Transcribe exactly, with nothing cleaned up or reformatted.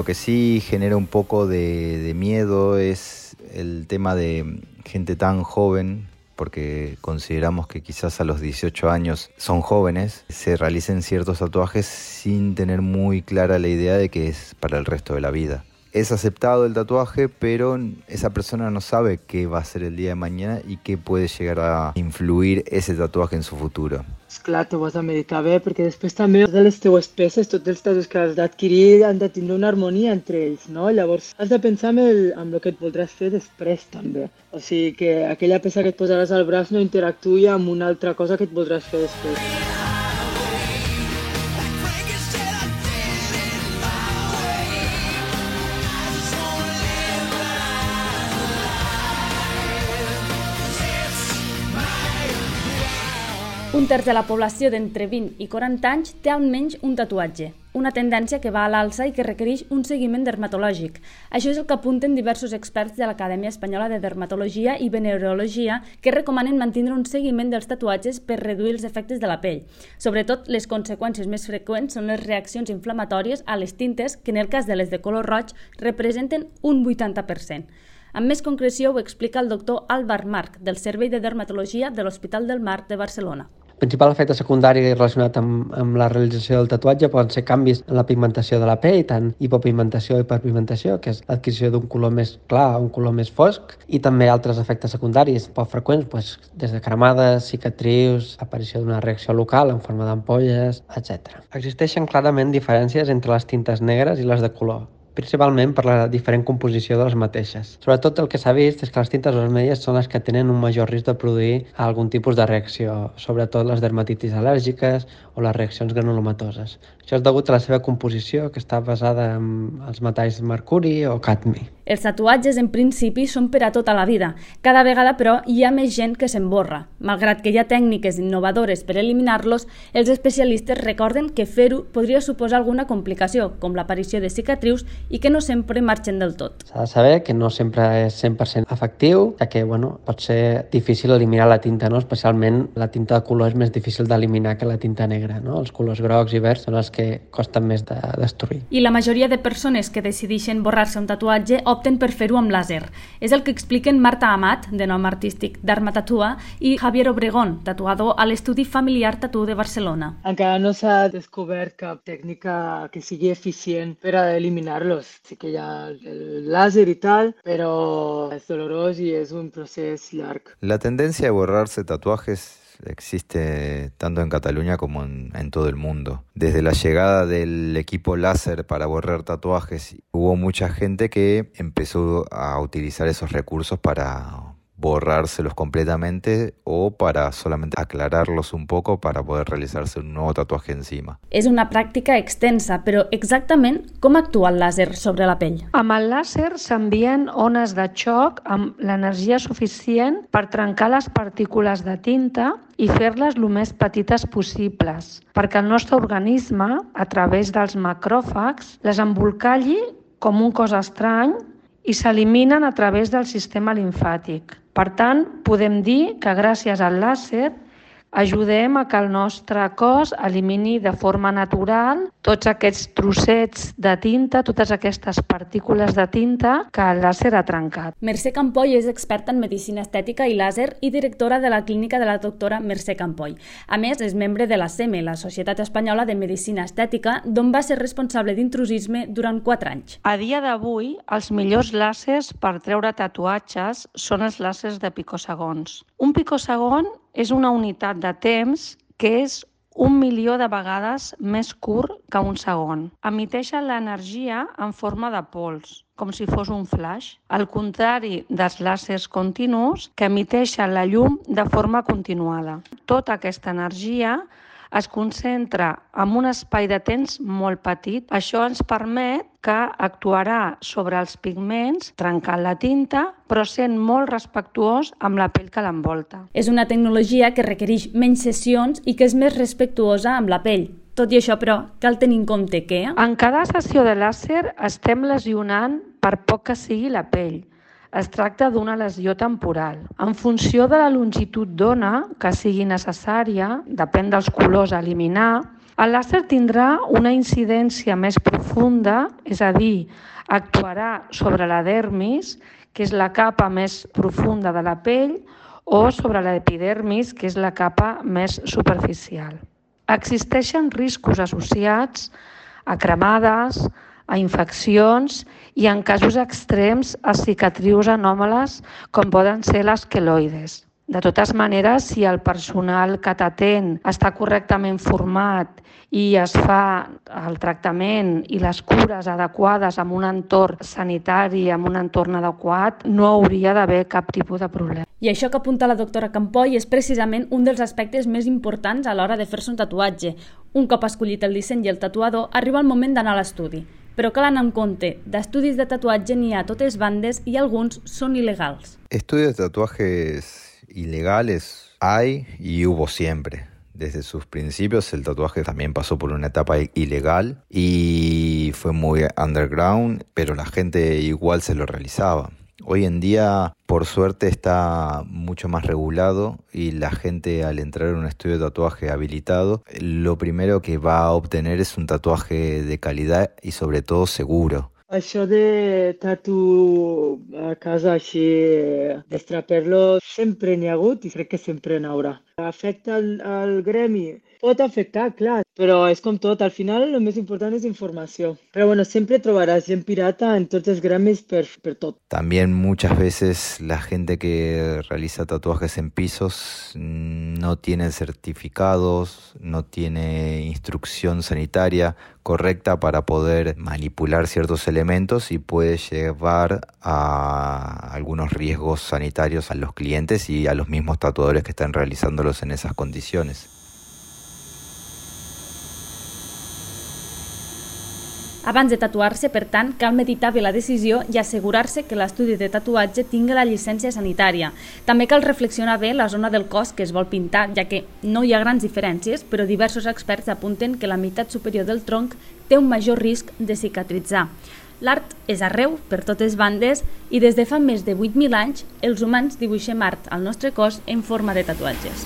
Lo que sí genera un poco de, de miedo es el tema de gente tan joven, porque consideramos que quizás a los dieciocho años son jóvenes, se realicen ciertos tatuajes sin tener muy clara la idea de que es para el resto de la vida. Es aceptado el tatuaje, pero esa persona no sabe qué va a ser el día de mañana y qué puede llegar a influir ese tatuaje en su futuro. Esclar, t'ho has de meditar bé, perquè després també de les teues peces, tots els tatuatges que has d'adquirir han de tindre una harmonia entre ells, no? Llavors has de pensar en el, en el que et voldràs fer després també. O sigui que aquella peça que et posaràs al braç no interactuï amb una altra cosa que et voldràs fer després. Un terç de la població d'entre vint i quaranta anys té almenys un tatuatge, una tendència que va a l'alça i que requereix un seguiment dermatològic. Això és el que apunten diversos experts de l'Acadèmia Espanyola de Dermatologia i Venereologia, que recomanen mantenir un seguiment dels tatuatges per reduir els efectes de la pell. Sobretot, les conseqüències més freqüents són les reaccions inflamatòries a les tintes, que en el cas de les de color roig representen un vuitanta per cent. Amb més concreció ho explica el doctor Álvar March, del Servei de Dermatologia de l'Hospital del Mar de Barcelona. El principal efecte secundari relacionat amb, amb la realització del tatuatge poden ser canvis en la pigmentació de la pell, tant hipopigmentació i hiperpigmentació, que és l'adquisició d'un color més clar o un color més fosc, i també altres efectes secundaris poc freqüents, doncs, des de cremades, cicatrius, aparició d'una reacció local en forma d'ampolles, etcètera. Existeixen clarament diferències entre les tintes negres i les de color, principalment per la diferent composició de les mateixes. Sobretot el que s'ha vist és que les tintes vermelles són les que tenen un major risc de produir algun tipus de reacció, sobretot les dermatitis al·lèrgiques o les reaccions granulomatoses. Això és degut a la seva composició, que està basada en els metalls mercuri o cadmi. Els tatuatges, en principi, són per a tota la vida. Cada vegada, però, hi ha més gent que s'emborra. Malgrat que hi ha tècniques innovadores per eliminar-los, els especialistes recorden que fer-ho podria suposar alguna complicació, com l'aparició de cicatrius, i que no sempre marxen del tot. S'ha de saber que no sempre és cent per cent efectiu, ja que bueno, pot ser difícil eliminar la tinta, no? Especialment la tinta de color és més difícil d'eliminar que la tinta negra, no? Els colors grocs i verds són els que costen més de destruir. I la majoria de persones que decideixen borrar-se un tatuatge opten per fer-ho amb làser. És el que expliquen Marta Amat, de nom artístic d'Arma Tatua, i Javier Obregón, tatuador a l'Estudi Familiar Tatu de Barcelona. Encara no s'ha descobert cap tècnica que sigui eficient per a eliminar-los. Sí que hi ha el làser i tal, però és dolorós i és un procés llarg. La tendencia de borrarse tatuajes existe tanto en Cataluña como en, en todo el mundo. Desde la llegada del equipo láser para borrar tatuajes, hubo mucha gente que empezó a utilizar esos recursos para borrárselos completamente o para solamente aclararlos un poco para poder realizarse un nuevo tatuaje encima. És una pràctica extensa, però exactament com actua el làser sobre la pell? Amb el làser s'envien ones de xoc amb l'energia suficient per trencar les partícules de tinta i fer-les el més petites possibles, perquè el nostre organisme, a través dels macròfags, les embolcalli com un cos estrany i s'eliminen a través del sistema limfàtic. Per tant, podem dir que gràcies al làser ajudem a que el nostre cos elimini de forma natural tots aquests trossets de tinta, totes aquestes partícules de tinta que el làser ha trencat. Mercè Campoy és experta en medicina estètica i làser i directora de la clínica de la doctora Mercè Campoy. A més, és membre de la S E M E, la Societat Espanyola de Medicina Estètica, d'on va ser responsable d'intrusisme durant quatre anys. A dia d'avui, els millors làsers per treure tatuatges són els làsers de picosegons. Un picosegon és una unitat de temps que és un milió de vegades més curt que un segon. Emiteixen l'energia en forma de pols, com si fos un flash, al contrari dels làsers continus que emiteixen la llum de forma continuada. Tota aquesta energia es concentra en un espai de temps molt petit. Això ens permet que actuarà sobre els pigments, trencant la tinta, però sent molt respectuós amb la pell que l'envolta. És una tecnologia que requereix menys sessions i que és més respectuosa amb la pell. Tot i això, però, cal tenir en compte que... En cada sessió de làser estem lesionant per poc que sigui la pell. Es tracta d'una lesió temporal. En funció de la longitud d'ona que sigui necessària, depèn dels colors a eliminar, El làser tindrà una incidència més profunda, és a dir, actuarà sobre la dermis, que és la capa més profunda de la pell, o sobre l'epidermis, que és la capa més superficial. Existeixen riscos associats a cremades, a infeccions i, en casos extrems, a cicatrius anòmales com poden ser les queloides. De totes maneres, si el personal que t'atén està correctament format i es fa el tractament i les cures adequades en un entorn sanitari, en un entorn adequat, no hauria d'haver cap tipus de problema. I això que apunta la doctora Campoy és precisament un dels aspectes més importants a l'hora de fer-se un tatuatge. Un cop escollit el disseny i el tatuador, arriba el moment d'anar a l'estudi. Però cal anar en compte, d'estudis de tatuatge n'hi ha a totes bandes i alguns són il·legals. Estudios de tatuajes ilegales hay y hubo siempre. Desde sus principios el tatuaje también pasó por una etapa ilegal y fue muy underground, pero la gente igual se lo realizaba. Hoy en día, por suerte, está mucho más regulado y la gente, al entrar en un estudio de tatuaje habilitado, lo primero que va a obtener es un tatuaje de calidad y sobre todo seguro. Això de tatu a casa així, destraper-lo, sempre n'hi ha hagut i crec que sempre n'haurà. Afecta el, el gremi? Pot afectar, clar, però és com tot, al final el més important és informació. Pero bueno, siempre trobaràs gent pirata en tots els gremis per, per tot. También muchas veces la gente que realiza tatuajes en pisos no tiene certificados, no tiene instrucción sanitaria correcta para poder manipular ciertos elementos y puede llevar a algunos riesgos sanitarios a los clientes y a los mismos tatuadores que están realizándolos en esas condiciones. Abans de tatuar-se, per tant, cal meditar bé la decisió i assegurar-se que l'estudi de tatuatge tingui la llicència sanitària. També cal reflexionar bé la zona del cos que es vol pintar, ja que no hi ha grans diferències, però diversos experts apunten que la meitat superior del tronc té un major risc de cicatritzar. L'art és arreu, per totes bandes, i des de fa més de vuit mil anys els humans dibuixem art al nostre cos en forma de tatuatges.